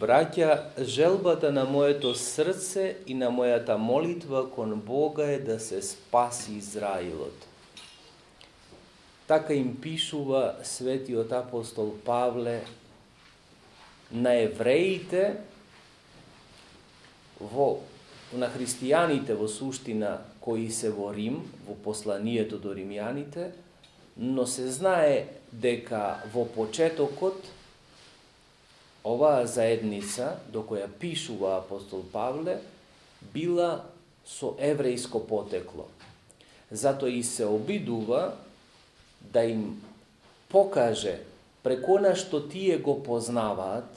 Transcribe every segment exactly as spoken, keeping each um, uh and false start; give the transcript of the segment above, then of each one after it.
Браќа, желбата на моето срце и на мојата молитва кон Бога е да се спаси Израилот. Така им пишува светиот апостол Павле на евреите, во, на христијаните во суштина кои се во Рим, во посланието до римјаните, но се знае дека во почетокот оваа заедница, до која пишува апостол Павле, била со еврејско потекло. Затоа и се обидува да им покаже преку на што тие го познаваат,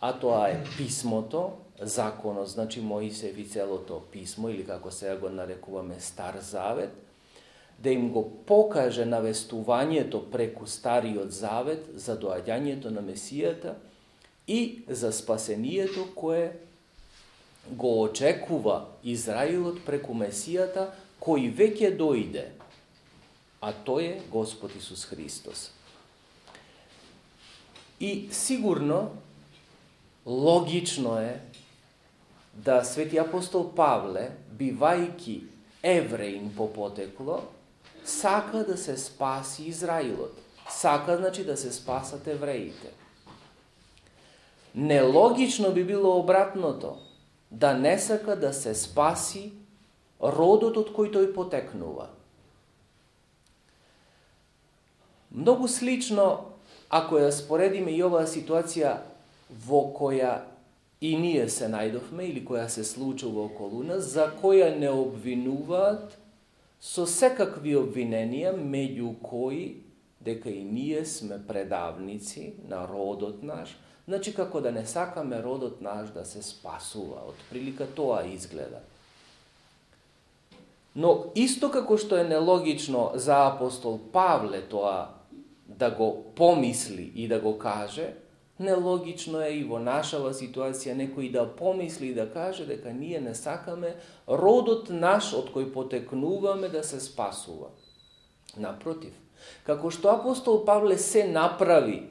а тоа е писмото, законот, значи Моисеев и целото писмо, или како сега го нарекуваме Стар Завет, да им го покаже навестувањето преку Стариот Завет за доаѓањето на Месијата и за спасението кое го очекува Израилот преку Месијата, кој веќе дојде, а тој е Господ Исус Христос. И сигурно, логично е да свети апостол Павле, бивајки евреин по потекло, сака да се спаси Израилот. Сака, значи, да се спасат евреите. Нелогично би било обратното, да не сака да се спаси родот од кој тој потекнува. Многу слично, ако ја споредиме и оваа ситуација во која и ние се најдовме, или која се случува околу нас, за која не обвинуваат со секакви обвиненија, меѓу кои дека и ние сме предавници на родот наш, значи како да не сакаме родот наш да се спасува. Од прилика тоа изгледа. Но исто како што е нелогично за апостол Павле тоа да го помисли и да го каже, нелогично е и во нашава ситуација некој да помисли и да каже дека ние не сакаме родот наш од кој потекнуваме да се спасува. Напротив, како што апостол Павле се направи,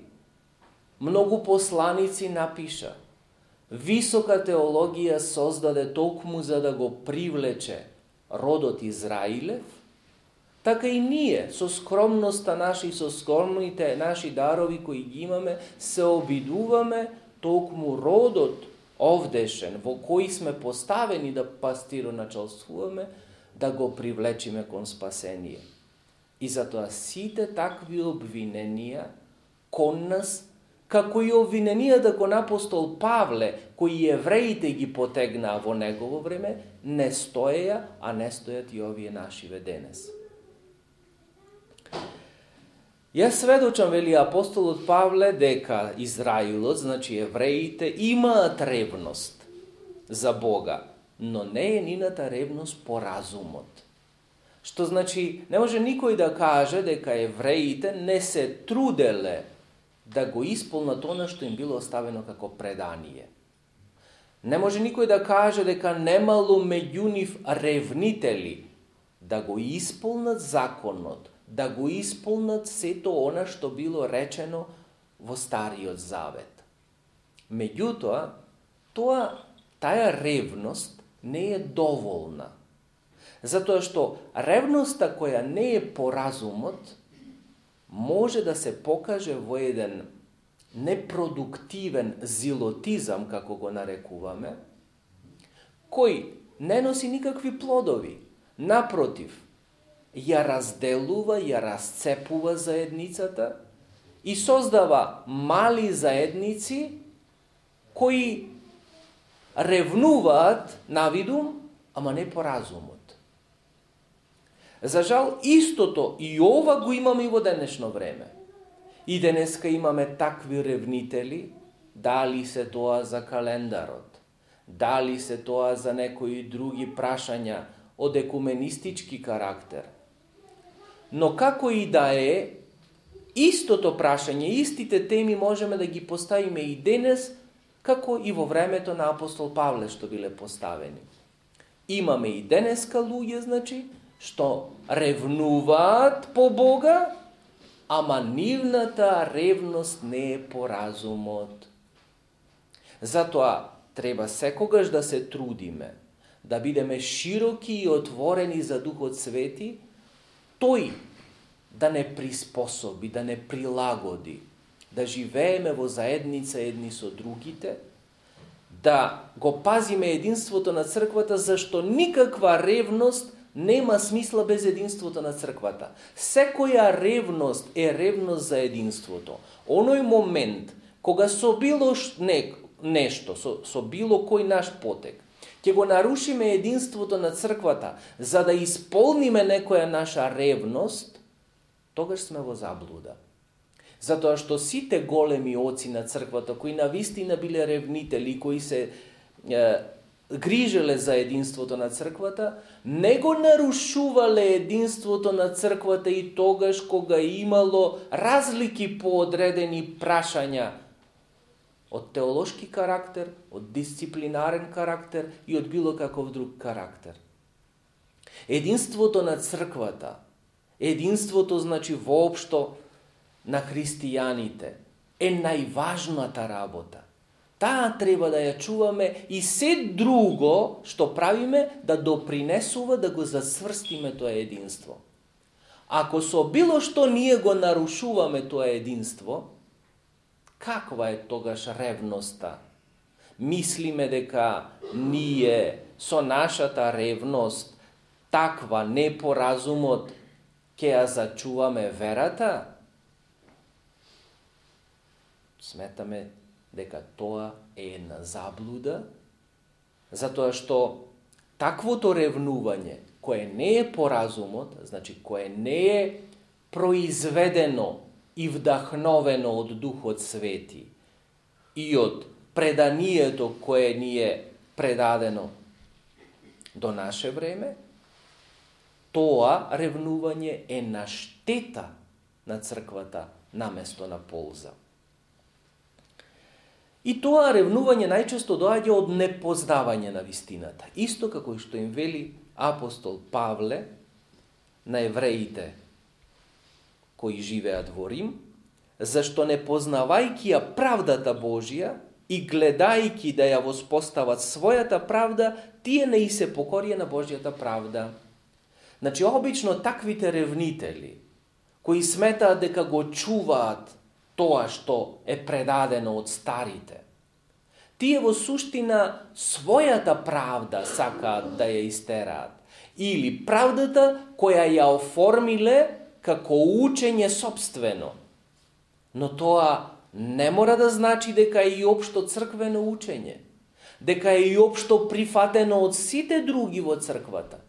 многу посланици напиша, висока теологија создаде токму за да го привлече родот Израилев, така и ние, со скромноста наша и со скромните наши дарови кои ги имаме, се обидуваме токму родот овдешен, во кој сме поставени да пастироначалствуваме, да го привлечиме кон спасение. И затоа сите такви обвиненија кон нас, како и обвиненијата кон апостол Павле, кои евреите ги потегнаа во негово време, не стоеја, а не стојат и овие нашиве денес. Јас сведочам, вели апостолот Павле, дека Израилот, значи евреите, имаат ревност за Бога, но не е нината ревност по разумот. Што значи, не може никој да каже дека евреите не се труделе да го исполнат она што им било оставено како предание. Не може никој да каже дека немало меѓу нив ревнители да го исполнат законот, да го исполнат сето она што било речено во Стариот Завет. Меѓутоа, тоа, таа ревност не е доволна. Затоа што ревноста која не е по разумот, може да се покаже во еден непродуктивен зилотизам, како го нарекуваме, кој не носи никакви плодови. Напротив, ја разделува, ја расцепува заедницата и создава мали заедници кои ревнуваат навидум, ама не по разумот. За жал, истото и ова го имаме и во денешно време. И денеска имаме такви ревнители, дали се тоа за календарот, дали се тоа за некои други прашања од екуменистички карактер. Но како и да е, истото прашање, истите теми можеме да ги поставиме и денес, како и во времето на апостол Павле што биле поставени. Имаме и денеска луѓе, значи, што ревнуваат по Бога, ама нивната ревност не е по разумот. Затоа треба секогаш да се трудиме, да бидеме широки и отворени за Духот Свети, тој да не приспособи, да не прилагоди, да живееме во заедница едни со другите, да го пазиме единството на црквата, зашто никаква ревност нема смисла без единството на црквата. Секоја ревност е ревност за единството. Оној момент, кога со било не, нешто, со, со било кој наш потек, ќе го нарушиме единството на црквата, за да исполниме некоја наша ревност, тогаш сме во заблуда. Затоа што сите големи оци на црквата, кои навистина биле ревнители, кои се е, грижеле за единството на црквата, не го нарушувале единството на црквата и тогаш кога имало разлики по одредени прашања од теолошки карактер, од дисциплинарен карактер и од било каков друг карактер. Единството на црквата, единството значи воопшто на христијаните, е најважната работа. Таа треба да ја чуваме и се друго што правиме да допринесува да го засврстиме тоа единство. Ако со било што ние го нарушуваме тоа единство, каква е тогаш ревноста? Мислиме дека ние со нашата ревност, таква непоразумот, ќе ја зачуваме верата? Сметаме дека тоа е една заблуда, затоа што таквото ревнување, кое не е по разумот, значи кое не е произведено и вдахновено од Духот Свети и од преданието кое ни е предадено до наше време, тоа ревнување е на штета на црквата наместо на полза. И тоа ревнување најчесто доаѓа од непознавање на вистината. Исто како што им вели апостол Павле на евреите кои живеат во Рим, зашто не познавајќи ја правдата Божија и гледајќи да ја воспостават својата правда, тие не и се покорија на Божјата правда. Значи, обично таквите ревнители, кои сметаат дека го чуваат тоа што е предадено од старите, тие во суштина својата правда сакаат да ја истераат, или правдата која ја оформиле како учење собствено. Но тоа не мора да значи дека е и општо црквено учење, дека е и општо прифатено од сите други во црквата.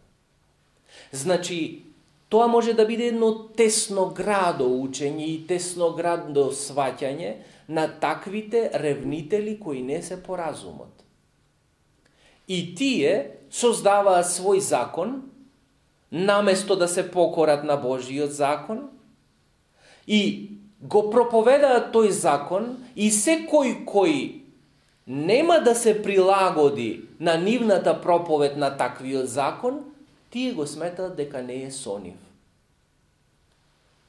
Значи, тоа може да биде едно тесноградо учење и тесноградо сваќање на таквите ревнители кои не се по разумот. И тие создаваат свој закон, наместо да се покорат на Божиот закон, и го проповедаат тој закон, и секој кој нема да се прилагоди на нивната проповед на таквиот закон, тие го сметаат дека не е со нив.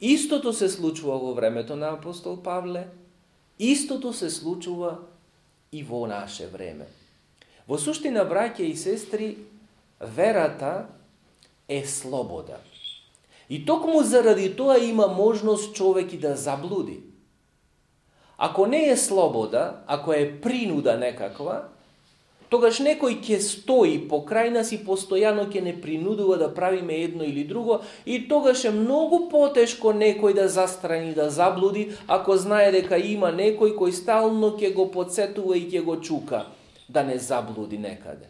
Истото се случува во времето на апостол Павле, истото се случува и во наше време. Во суштина, браќа и сестри, верата е слобода. И токму заради тоа има можност човек и да заблуди. Ако не е слобода, ако е принуда некаква, тогаш некој ќе стои покрај нас и постојано ќе не принудува да правиме едно или друго, и тогаш е многу потешко некој да застрани, да заблуди, ако знае дека има некој кој стално ќе го подсетува и ќе го чука да не заблуди некаде.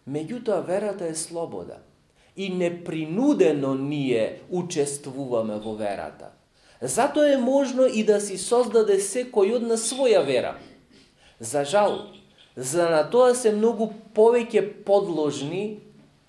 Меѓутоа, верата е слобода и непринудено ние учествуваме во верата. Затоа е можно и да си создаде секој од нас своја вера. За жал, за на тоа се многу повеќе подложни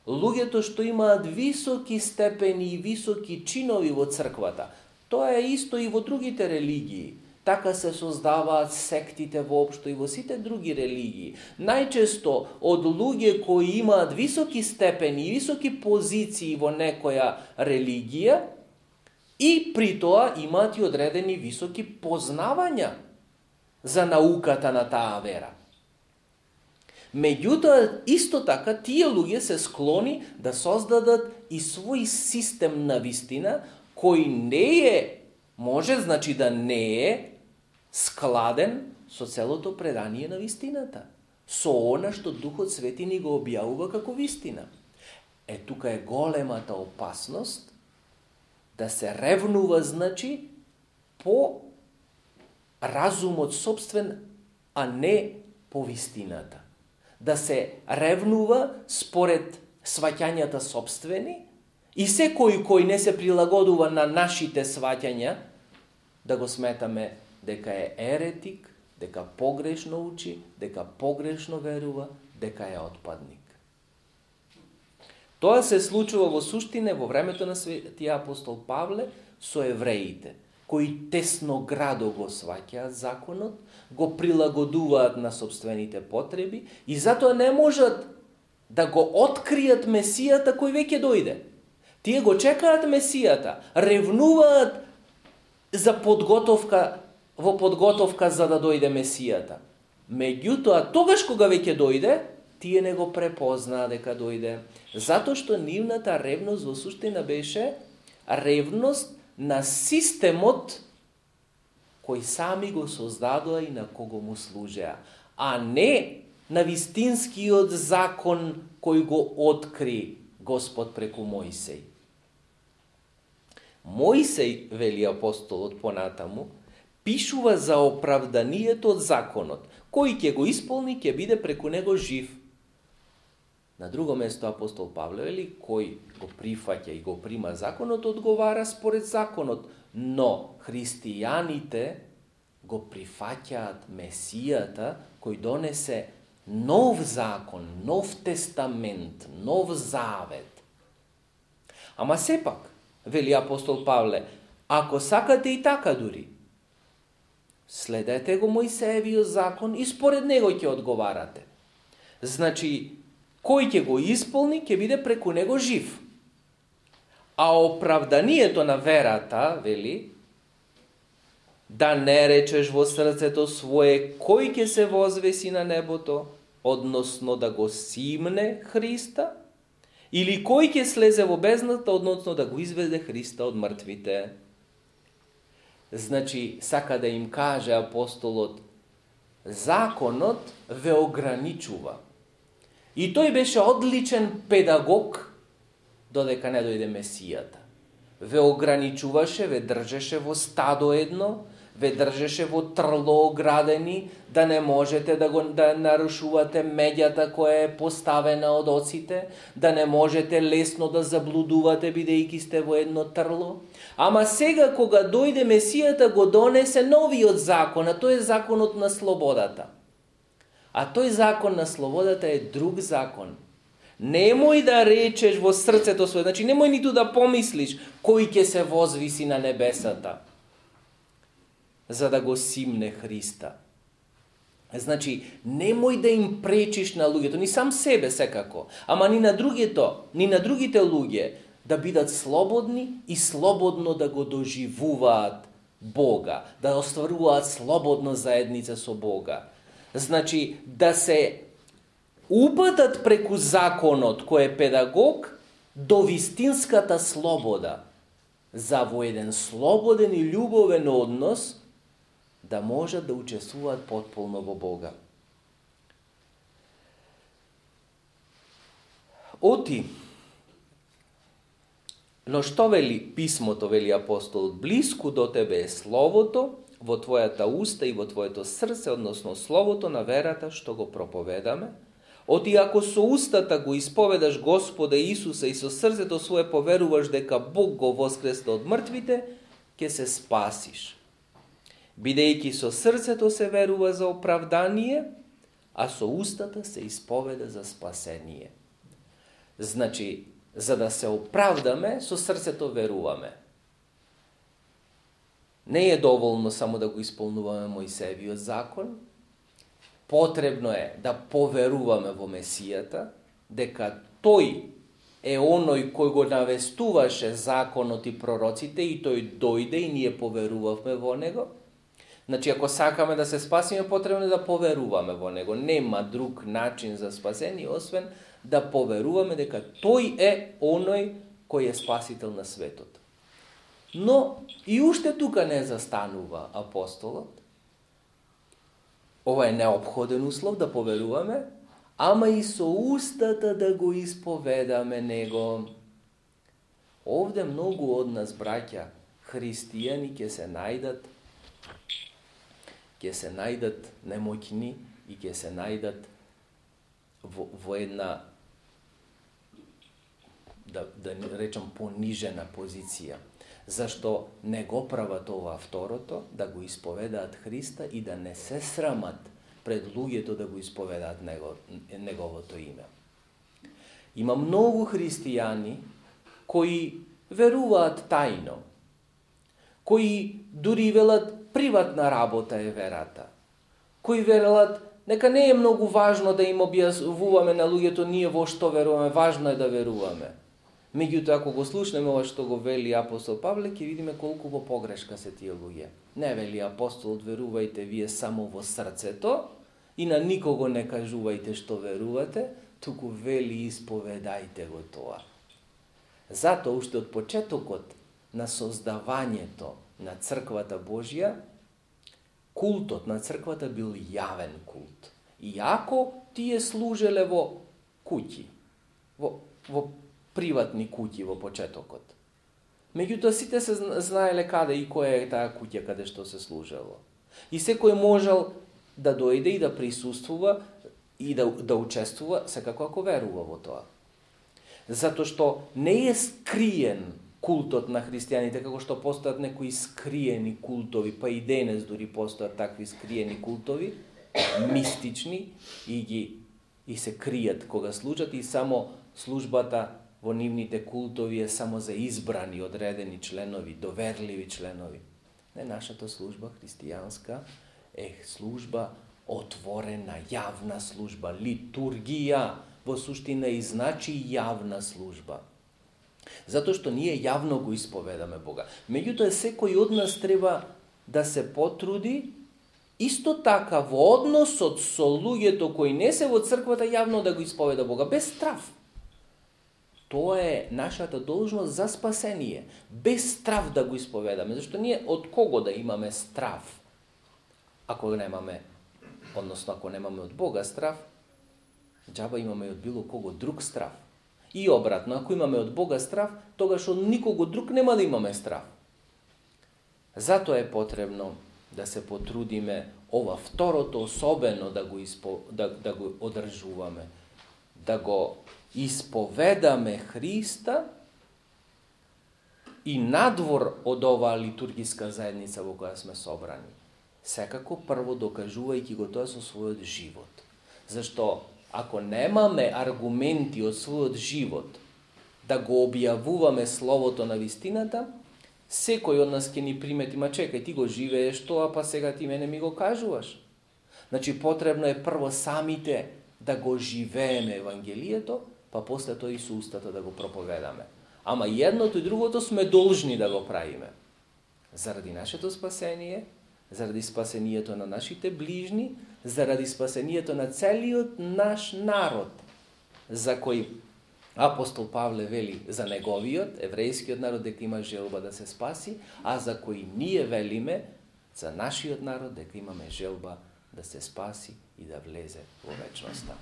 луѓето што имаат високи степени и високи чинови во црквата. Тоа е исто и во другите религии. Така се создаваат сектите воопшто и во сите други религии. Најчесто од луѓе кои имаат високи степени и високи позиции во некоја религија и при тоа имаат и одредени високи познавања за науката на таа вера. Меѓутоа, исто така, тие луѓе се склони да создадат и свој систем на вистина, кој не е, може значи да не е складен со целото предание на вистината, со она што Духот Свети ни го објавува како вистина. Е, тука е големата опасност да се ревнува, значи, по разумот собствен, а не по вистината. Да се ревнува според сваќањата собствени и секој кој не се прилагодува на нашите сваќања, да го сметаме дека е еретик, дека погрешно учи, дека погрешно верува, дека е отпадник. Тоа се случува во суштина во времето на светиот апостол Павле со евреите, кои тесно градо го сваќаат законот, го прилагодуваат на собствените потреби и затоа не можат да го откријат Месијата кој веќе дојде. Тие го чекаат Месијата, ревнуваат за подготовка, во подготовка за да дојде Месијата. Меѓутоа, тогаш кога веќе дојде, тие не го препознаа дека дојде, затоа што нивната ревност во суштина беше ревност на системот кој сами го создадоа и на кого му служеа, а не на вистинскиот закон кој го откри Господ преку Мојсей. Мојсей, вели апостолот понатаму, пишува за оправданието од законот, кој ќе го исполни, ќе биде преку него жив. На друго место апостол Павле вели, кој го прифаќа и го прима законот, одговара според законот, но христијаните го прифаќаат Месијата, кој донесе нов закон, нов тестамент, нов завет. Ама сепак, вели апостол Павле, ако сакате и така дури, следете го Мојсеевиот закон и според него ќе одговарате. Значи, кој ќе го исполни, ќе биде преку него жив. А оправданието на верата, вели, да не речеш во срцето свое кој ќе се возвеси на небото, односно да го симне Христа, или кој ќе слезе во бездната, односно да го изведе Христа од мртвите. Значи, сака да им каже апостолот, законот ве ограничува. И тој беше одличен педагог, додека не дојде Месијата. Ве ограничуваше, ве држеше во стадо едно, ве држеше во трло оградени, да не можете да го да нарушувате меѓата која е поставена од оците, да не можете лесно да заблудувате бидејќи сте во едно трло. Ама сега кога дојде Месијата го донесе новиот закон, а тој е законот на слободата. А тој закон на слободата е друг закон. Немој да речеш во срцето свое, значи немој ниту да помислиш кој ќе се возвиси на небесата, за да го симне Христа. Значи, немој да им пречиш на луѓето, ни сам себе секако, ама ни на другите, ни на другите луѓе, да бидат слободни и слободно да го доживуваат Бога, да остваруваат слободно заедница со Бога. Значи, да се упатат преку законот кој е педагог до вистинската слобода, за во еден слободен и љубовен однос да можат да учествуваат потполно во Бога. Оти, но што вели писмото, вели апостолот, блиску до тебе е словото, во твојата уста и во твоето срце, односно словото на верата што го проповедаме. Оти ако со устата го исповедаш Господа Исуса и со срцето свое поверуваш дека Бог го воскресна од мртвите, ќе се спасиш. Бидејќи со срцето се верува за оправдание, а со устата се исповеда за спасение. Значи, за да се оправдаме, со срцето веруваме. Не е доволно само да го исполнуваме Мојсеевиот закон, потребно е да поверуваме во Месијата, дека тој е оној кој го навестуваше законот и пророците и тој дојде и ние поверувавме во него. Значи, ако сакаме да се спасиме, потребно е да поверуваме во него. Нема друг начин за спасение, освен да поверуваме дека тој е оној кој е спасител на светот. Но и уште тука не застанува апостолот. Ова е неопходен услов да поверуваме, ама и со устата да го исповедаме него. Овде многу од нас, браќа, христијани, ќе се најдат ќе се најдат немоќни и ќе се најдат во, во една, да, да речам, понижена позиција. Зашто не го прават ова второто, да го исповедаат Христа и да не се срамат пред луѓето да го исповедаат него, неговото име. Има многу христијани кои веруваат тајно, кои дури велат приватна работа е верата, кои веруват нека не е многу важно да им објаснуваме на луѓето ние во што веруваме, важно е да веруваме. Меѓутоа, ако го слушнеме ова што го вели апостол Павле, ќе видиме колку во погрешка се тие луѓе. Не вели апостолот, верувајте вие само во срцето и на никого не кажувајте што верувате, туку вели исповедајте го тоа. Затоа, уште од почетокот на создавањето на црквата Божја, култот на црквата бил јавен култ. Иако тие служеле во куќи, во, во приватни куќи во почетокот. Меѓутоа сите се знаеле каде и која е таа куќа каде што се служело. И секој можел да дојде и да присуствува и да, да учествува, секако ако верува во тоа. Затоа што не е скриен култот на христијаните, како што постојат некои скриени култови, па и денес дури постојат такви скриени култови, мистични, и ги и се кријат кога служат, и само службата во нивните култови е само за избрани, одредени членови, доверливи членови. Не, нашата служба христијанска е служба отворена, јавна служба, литургија, во суштина и значи јавна служба. Затоа што ние јавно го исповедаме Бога. Меѓутоа, секој од нас треба да се потруди исто така во односот со луѓето кои не се во црквата јавно да го исповеда Бога, без страв. Тоа е нашата должност за спасение. Без страв да го исповедаме. Зашто ние од кого да имаме страв? Ако немаме, односно ако немаме од Бога страв, џаба имаме од било кого друг страв. И обратно, ако имаме од Бога страв, тогаш од никого друг нема да имаме страв. Затоа е потребно да се потрудиме ова второто особено да го, испо, да, да го одржуваме, да го исповедаме Христа и надвор од оваа литургиска заедница во која сме собрани. Секако прво докажувајќи го тоа со својот живот. Зашто ако немаме аргументи од својот живот да го објавуваме словото на вистината, секој од нас ќе ни примети, ма чекај, ти го живееш тоа, па сега ти мене ми го кажуваш. Значи, потребно е прво самите да го живееме Евангелието, па после тоа и со устата да го проповедаме. Ама едното и другото сме должни да го правиме. Заради нашето спасение, заради спасението на нашите ближни, заради спасението на целиот наш народ, за кој апостол Павле вели за неговиот, еврејскиот народ, дека има желба да се спаси, а за кој ние велиме за нашиот народ, дека имаме желба да се спаси и да влезе во вечноста.